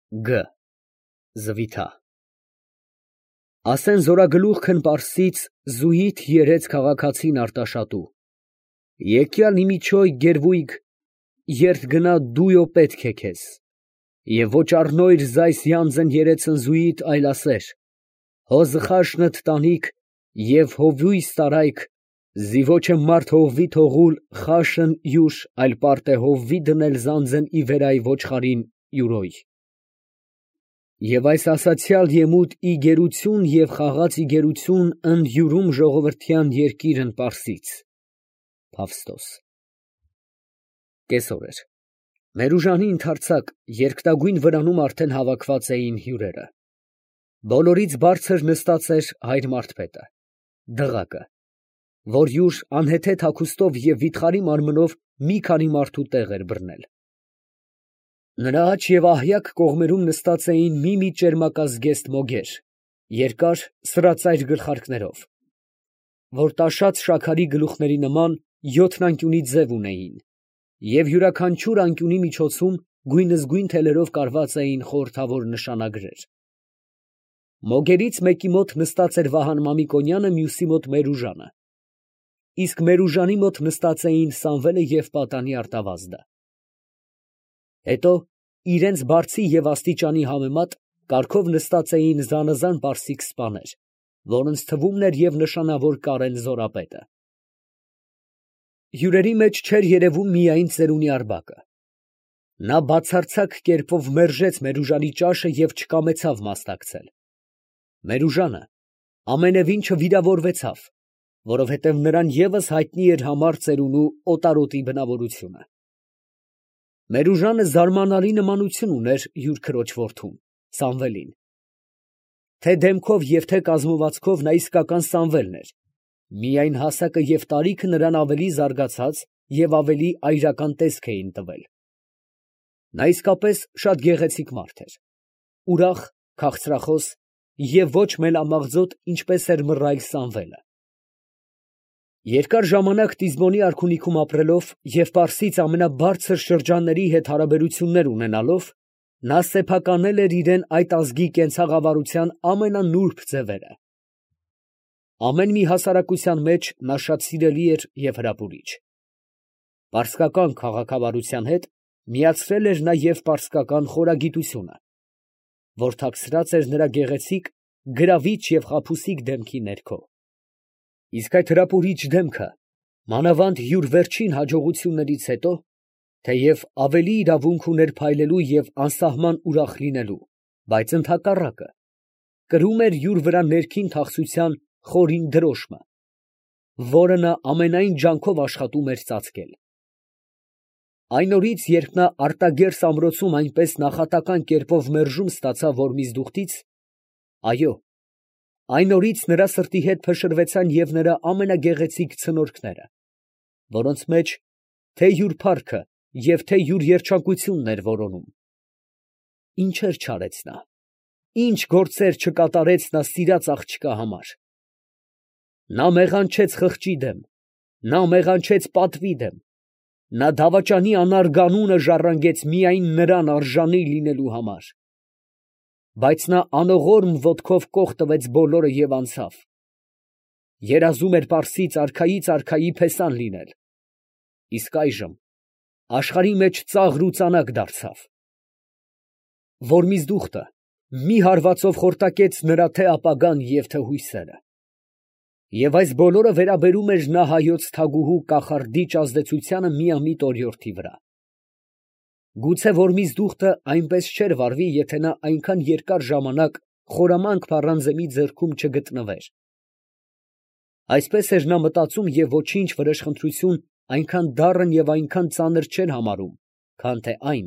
Գ. Զվիթա Ասեն զորագլուխքն Պարսից զուհիթ երեց քաղաքացին Արտաշատու. Եկյալ իմիչոյ գերվույգ երդ գնա դույո պետք է քեզ, և ոչ առնոյր զայս յանձն երեցն զուհիթ այլ ասեր, հո զխաշնըտ տանիք և հովույս տարայք, զի ոչ է մարդ հովվի թողուլ խաշն յուշ, այլ պարտ է հովվի դնել զանձն ի վերայ ոչխարին յուրոյ. և այս ասացյալ եմուտ ի գերություն և խաղաց ի գերություն ընդ յուրում ժողովրդյան երկիրն Պարսից։ Փավստոս Կեսօր էր։ Մերուժանի ընդարձակ երկտագույն վրանում արդեն հավաքված էին հյուրերը։ Բոլորից բարձր նստած էր հայր Մարդպետը, դղակը, որ յուր անհեթեթ հագուստով և վիթխարի մարմնով մի քանի մարդու տեղ էր բռնել։ Նրա աջ և ահյակ կողմերում նստած էին մի ճերմակազգեստ մոգեր, երկար սրածայր գլխարկներով, որ տաշած շաքարի գլուխների նման յոթնանկյունի ձև ունեին, և յուրաքանչյուր անկյունի միջոցում գույնզգույն թելերով կարված էին խորհրդավոր նշանագրեր։ Մոգերից մեկի մոտ նստած էր Վահան Մամիկոնյանը, մյուսի մոտ Մերուժանը, իսկ Մերուժանի մոտ նստած էին Սամվելը և պատանի Արտավազդը։ Հետո իրենց բարձի և աստիճանի համեմատ կարգով նստած էին զանազան պարսիկ սպաներ, որոնց թվում էր և նշանավոր Կարեն Զորապետը։ Հյուրերի մեջ չէր երևում միայն ծերունի Արգաբը. նա բացարձակ կերպով մերժեց Մերուժանի ճաշը և չկամեցավ մասնակցել։ Մերուժանը ամենևին չվիրավորվեցավ, որովհետև նրան ևս հայտնի էր համար ծերունու օտարոտի բնավորությունը։ Մերուժանը զարմանալի նմանություն ուներ յուր քրոջ որդուն Սամվելին, թե դեմքով և թե կազմվածքով նա իսկական Սամվելն էր, միայն հասակը և տարիքը նրան ավելի զարգացած և ավելի այրական տեսք էին տվել։ Նա իսկապես շատ գեղեցիկ մարդ էր, ուրախ, քաղցրախոս և ոչ մելամաղձոտ, ինչպես էր մռայլ Սամվելը։ Երկար ժամանակ Տիզբոնի արքունիքում ապրելով և Պարսից ամենաբարձր շրջանների հետ հարաբերություններ ունենալով, նա սեփականել էր իրան այդ ազգի կենցաղավարության ամենանուրբ ձևերը։ Ամեն մի հասարակության մեջ նա շատ սիրելի էր և հրապուրիչ։ Պարսկական քաղաքավարության հետ միացրել էր նա և պարսկական խորագիտությունը, որ թաքցրած էր նրա գեղեցիկ, գրավիչ և խաբուսիկ դեմքի ներքո։ Իսկ այդ հրապուրիչ դեմքը, մանավանդ յուր վերջին հաջողություններից հետո, թեև ավելի իրավունք ուներ փայլելու և անսահման ուրախ լինելու, բայց ընդհակառակը, կրում էր յուր վրա ներքին թախծության խորին դրոշմը, որը նա ամենայն ջանքով աշխատում էր ծածկել։ Այն օրից, երբ նա արտագերս ամրոցում այնպես նախատական կերպով մերժում ստացավ Որմիզդուխտից, այո, այն օրից նրա սրտի հետ փշրվեցան և նրա ամենագեղեցիկ ցնորքները, որոնց մեջ թե յուր փառքը և թե յուր երջանկությունն էր որոնում։ Ինչեր չարեց նա, ինչ գործեր չկատարեց նա սիրած աղջկա համար։ Նա մեղանչեց խղճի դեմ, նա մեղանչեց պատվի դեմ, նա դավաճանի անարգ անունը ժառանգեց միայն նրան արժանի լինելու համար։ Բայց նա անողորմ ոտքով կոխ տվեց բոլորը և անցավ։ Երազում էր Պարսից արքայից արքայի փեսան լինել, իսկ այժմ աշխարհի մեջ ծաղր ու ծանակ դարձավ։ Որմիզդուխտը մի հարվածով խորտակեց նրա թե ապագան և թե հույսերը։ Եվ այս բոլորը վերաբերում էր նա հայոց թագուհու կախարդիչ ազդեցությանը միամիտ օրիորդի վրա։ Գուցե Որմիզդուխտը այնպես չէր վարվի, եթե նա այնքան երկար ժամանակ խորամանկ փառանձեմի ձեռքում չգտնվեր։ Այսպես էր նա մտածում և ոչինչ վրեժխնդրություն այնքան դառն և այնքան ծանր չէր համարում, քան թե այն,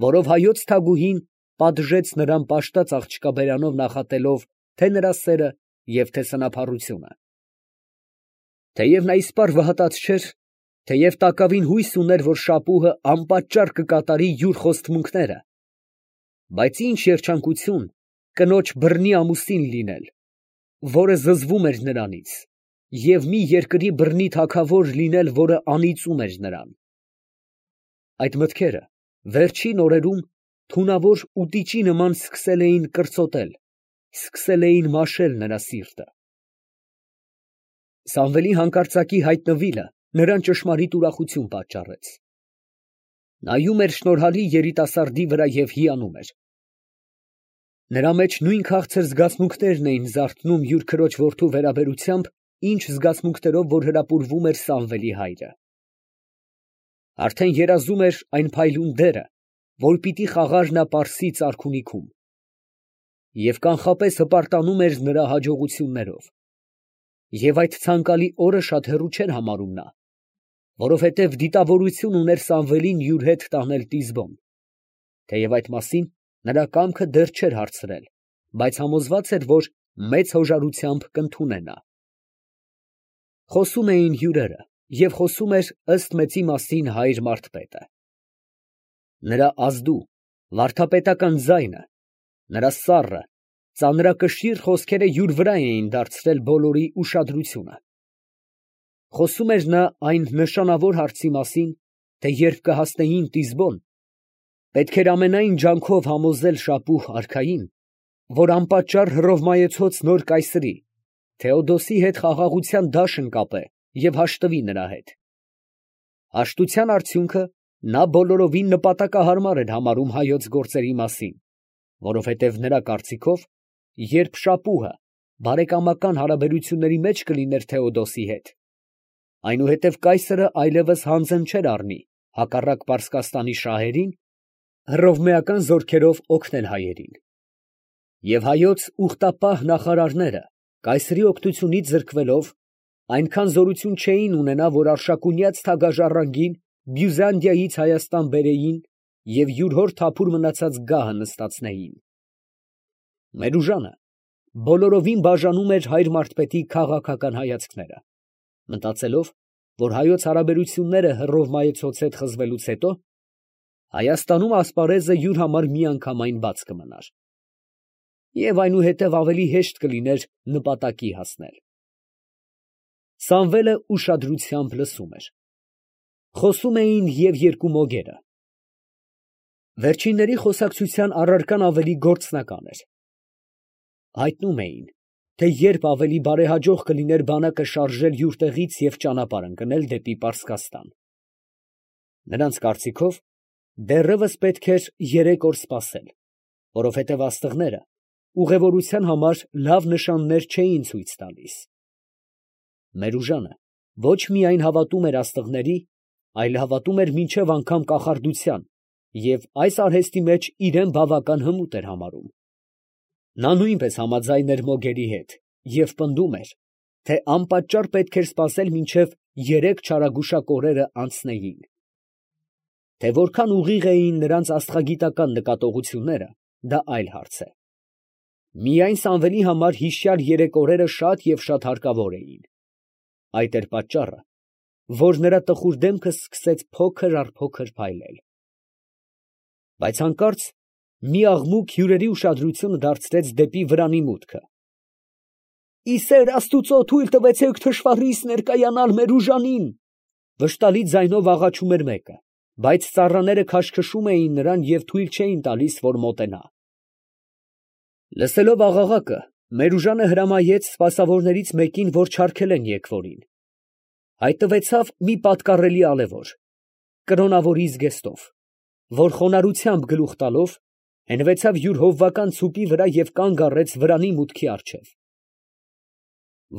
որով հայոց թագուհին պատժեց նրան պաշտած աղջկա բերանով նախատելով թե նրա սերը և թե սնափառությունը։ Թեև նա իսպառ վհատած չէր, թեև տակավին հույս ուներ, որ շապուհը անպատճառ կկատարի յուր խոստմունքները, բայց ինչ երջանկություն կնոջ բռնի ամուսին լինել, որը զզվում էր նրանից, և մի երկրի բռնի թագավոր լինել, որը անիծում էր նրան։ Այդ մտքերը վերջին օրերում թունավոր ուտիչի նման սկսել էին կրծոտել, սկսել էին մաշել նրա սիրտը։ Սամվելի հանկարծակի հայտնվելը նրան ճշմարիտ ուրախություն պատճառեց։ Նայում էր շնորհալի երիտասարդի վրա և հիանում էր։ Նրա մեջ նույն քաղցր զգացմունքներն էին զարթնում յուր քրոջ որդու վերաբերությամբ, ինչ զգացմունքներով, որ հրապուրվում էր Սամվելի հայրը։ Արդեն երազում էր այն փայլուն դերը, որ պիտի խաղար նա Պարսից արքունիքում, և կանխապես հպարտանում էր նրա հաջողություններով։ Եվ այդ ցանկալի օրը շատ հեռու չէր համարում նա, որովհետև դիտավորություն ուներ Սամվելին յուր հետ տանել Տիզբոն, թեև այդ մասին նրա կամքը դեռ չէր հարցրել, բայց համոզված էր, որ մեծ հոժարությամբ կընդունե նա։ Խոսում էին հյուրերը, և խոսում էր ըստ մեծի մասին հայր Մարթպետը։ Նրա ազդու, վարդապետական ձայնը, նրա սառը, ծանրակշիռ խոսքերը յուր վրա էին դարձրել բոլորի ուշադրությունը։ Խոսում էր նա այն նշանավոր հարցի մասին, թե երբ կհասնեին Տիզբոն, պետք էր ամենայն ջանքով համոզել Շապուհ արքային, որ անպատճառ հռովմայեցոց նոր կայսրի, Թեոդոսի հետ խաղաղության դաշն կապե և հաշտվի նրա հետ։ Հաշտության արդյունքը նա բոլորովին նպատակահարմար էր համարում հայոց գործերի մասին, որովհետև նրա կարծիքով, երբ Շապուհը բարեկամական հարաբերությունների մեջ կլիներ Թեոդոսի հետ, այնուհետև կայսրը այլևս հանձն չէր առնի հակառակ Պարսկաստանի շահերին, հռովմեական զորքերով օգնել հայերին։ Եվ հայոց ուխտապահ նախարարները, կայսրի օգնությունից զրկվելով, այնքան զորություն չէին ունենա, որ Արշակունյաց թագաժառանգին Բյուզանդիայից Հայաստան բերեին և յուր հոր թափուր մնացած գահը նստացնեին։ Մերուժանը բոլորովին բաժանում էր հայր Մարթպետի քաղաքական հայացքները, մտածելով, որ հայոց հարաբերությունները հռովմայեցոց հետ խզվելուց հետո Հայաստանում ասպարեզը յուր համար միանգամայն բաց կմնար, և այնուհետև ավելի հեշտ կլիներ նպատակի հասնել։ Սամվելը ուշադրությամբ լսում էր։ Խոսում էին և երկու մոգերը։ Վերջինների խոսակցության առարկան ավելի գործնական էր։ Հայտնում էին, թե երբ ավելի բարեհաջող կլիներ բանակը շարժել յուր տեղից և ճանապարհ ընկնել դեպի Պարսկաստան։ Նրանց կարծիքով, դեռևս պետք էր 3 օր սպասել, որովհետև աստղները ուղևորության համար լավ նշաններ չէին ցույց տալիս։ Մերուժանը ոչ միայն հավատում էր աստղների, այլ հավատում էր մինչև անգամ կախարդության և այս արհեստի մեջ իրեն բավական հմուտ էր համարում։ Նա նույնպես համաձայն էր մոգերի հետ և պնդում էր, թե անպատճառ պետք էր սպասել մինչև 3 չարագուշակ օրերը անցնեին։ Թե որքան ուղիղ էին նրանց աստղագիտական նկատողությունները, դա այլ հարց է։ Միայն Սամվելի համար հիշյալ 3 օրերը շատ և շատ հարկավոր էին։ Այդ էր պատճառը, որ նրա տխուր դեմքը սկսեց փոքր առ փոքր փայլել։ Բայց հանկարծ մի աղմուկ հյուրերի ուշադրությունը դարձրեց դեպի վրանի մուտքը։ ֊ Ի սեր աստուծո թույլ տվեցեք թշվառիս ներկայանալ մեր ուժանին, ֊ վշտալի ձայնով աղաչում էր մեկը, բայց ծառաները քաշքշում էին նրան և թույլ չէին տալիս, որ մոտենա։ Լսելով աղաղակը, Մերուժանը հրամայեց սպասավորներից մեկին, որ չարգելեն եկվորին։ Հայտնվեցավ մի պատկառելի ալևոր, կրոնավորի զգեստով, որ խոնարհությամբ գլուխ տալով, հենվեցավ յուր հովվական ցուպի վրա և կանգ առեց վրանի մուտքի առջև։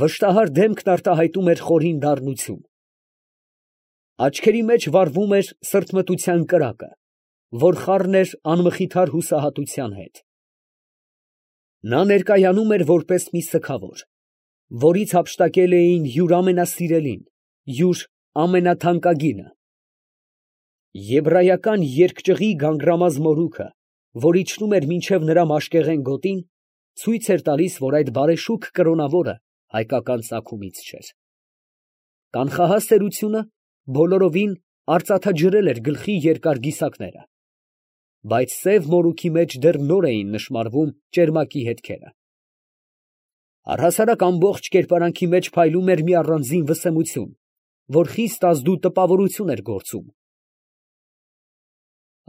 Վշտահար դեմքն արտահայտում էր խորին դառնություն։ Աչքերի մեջ վառվում էր սրտմտության կրակը, որ խառն էր անմխիթար հուսահատության հետ։ Նա ներկայանում էր որպես մի սգավոր, որից հափշտակել էին յուր ամենասիրելին, յուր ամենաթանկագինը։ Եբրայական երկճղի գանգրամած մորուքը, որ իջնում էր մինչև նրա մաշկեղեն գոտին, ցույց էր տալիս, որ այդ բարեշուք կրոնավորը հայկական ծագումից չէր։ Կանխահաս սերությունը բոլորովին արծաթաջրել էր գլխի երկար գիսակները, բայց սև մորուքի մեջ դեռ նոր էին նշմարվում ճերմակի հետքերը։ Առհասարակ ամբողջ կերպարանքի մեջ փայլում էր մի առանձին վսեմություն, որ խիստ ազդու տպավորություն էր գործում։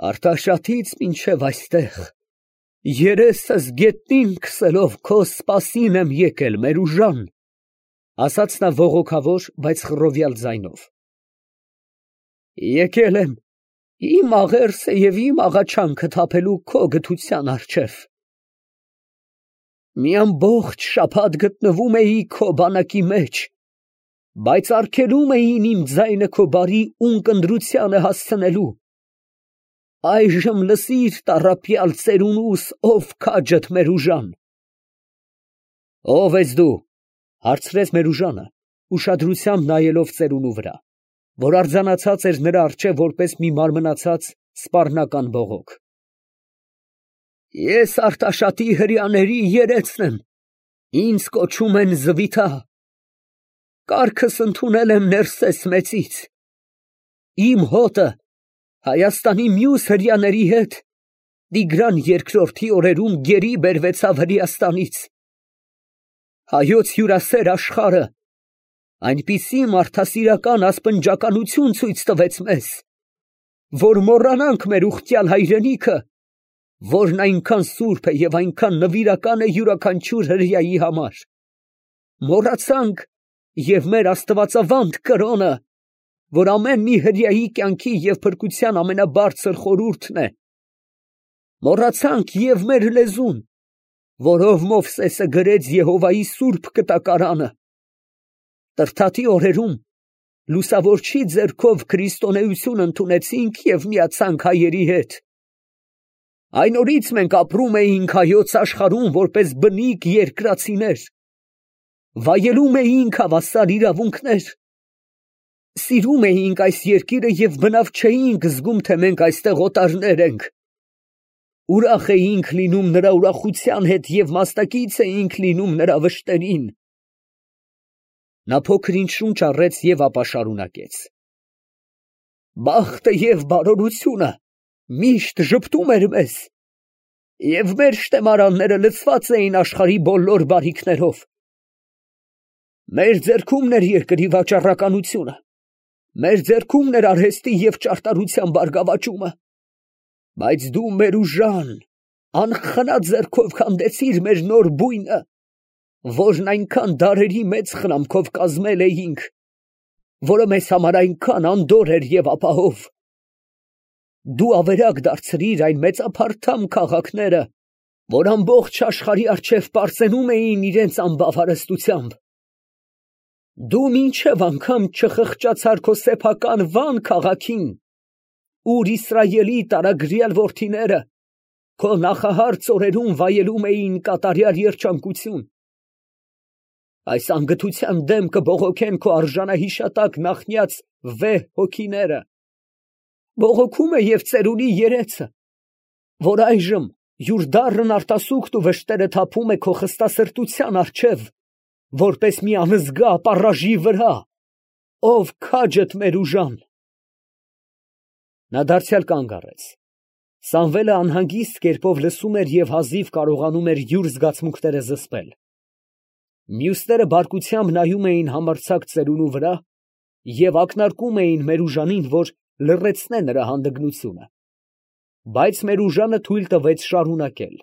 Արտաշատից մինչև այստեղ, երեսս գետնին քսելով քո սպասին եմ եկել, Մերուժան, ասաց նա ողոքավոր, բայց խռովյալ ձայնով։ Եկել եմ իմ աղերսը և իմ աղաչանքը թափելու քո գթության առջև։ Մի ամբողջ շաբաթ գտնվում էի քո բանակի մեջ, բայց արգելում էին իմ ձայնը քո բարի ունկնդրությանը հասցնելու։ Այժմ լսիր տառապյալ ծերունուս, ով քաջդ Մերուժան։ Ո՞վ ես դու, հարցրեց Մերուժանը, ուշադրությամբ նայելով ծերունու վրա, որ արձանացած էր նրա առջև որպես մի մարմնացած սպառնական բողոք։ Ես Արտաշատի հրեաների երեցն եմ, ինձ կոչում են Զվիթա, կառքս ընդունել եմ Ներսես մեծից, իմ հոտը Հայաստանի մյուս հրեաների հետ Տիգրան երկրորդի օրերում գերի բերվեցավ Հրեաստանից, հայոց հյուրասեր աշխարհը այնպիսի մարդասիրական ասպնջականություն ցույց տվեց մեզ, որ մոռանանք մեր ուխտյալ հայրենիքը, որն այնքան սուրբ է և այնքան նվիրական է յուրաքանչյուր հրեայի համար, մոռացանք և մեր աստվածավանդ կրոնը, որ ամեն մի հրեայի կյանքի և փրկության ամենաբարձր խորհուրդն է, մոռացանք և մեր լեզուն, որով Մովսեսը գրեց Եհովայի սուրբ կտակարանը, Տրդատի օրերում լուսավորչի ձեռքով քրիստոնեություն ընդունեցինք և միացանք հայերի հետ, այն օրից մենք ապրում էինք հայոց աշխարհում որպես բնիկ երկրացիներ, վայելում էինք հավասար իրավունքներ, սիրում էինք այս երկիրը և բնավ չէինք զգում, թե մենք այստեղ օտարներ ենք, ուրախ էինք լինում նրա ուրախության հետ և մասնակից էինք լինում նրա վշտերին։ Նա փոքր ինչ շունչ առեց և ապա շարունակեց. Բախտը և բարօրությունը միշտ ժպտում էր մեզ, և մեր շտեմարանները լցված էին աշխարհի բոլոր բարիքներով։ Մեր ձեռքումն էր երկրի վաճառականությունը, մեր ձեռքումն էր արհեստի և ճարտարության բարգավաճումը, բայց դու Մերուժան անխնա ձեռքով քանդեցիր մեր նոր բույնը, որն այնքան դարերի մեծ խնամքով կազմել էինք, որը մեզ համար այնքան անդորր էր և ապահով։ Դու ավերակ դարձրիր այն մեծափարթամ քաղաքները, որ ամբողջ աշխարհի առջև պարծենում էին իրենց անբավ հարստությամբ։ Դու մինչև անգամ չխղճացար քո սեփական Վան քաղաքին, ուր Իսրայելի տարագրյալ որդիները քո նախահարց օրերում վայելում էին կատարյալ երջանկություն։ Այս անգթության դեմ կբողոքեն քո արժանահիշատակ նախնյաց վեհ հոգիները, բողոքում է և ծերունի երեցը, որ այժմ յուր դառն արտասուքտ ու վշտերը թափում է քո խստասրտության առջև, որպես մի անզգա ապառաժի վրա, ով քաջդ Մերուժան։ Նա դարձյալ կանգ առեց։ Սամվելը անհանգիստ կերպով լսում էր և հազիվ կարողանում էր յուր զգացմունքները զսպել։ Մյուսները բարկությամբ նայում էին համարձակ ծերունու վրա և ակնարկում էին Մերուժանին, որ լռեցնե նրա հանդգնությունը, բայց Մերուժանը թույլ տվեց շարունակել.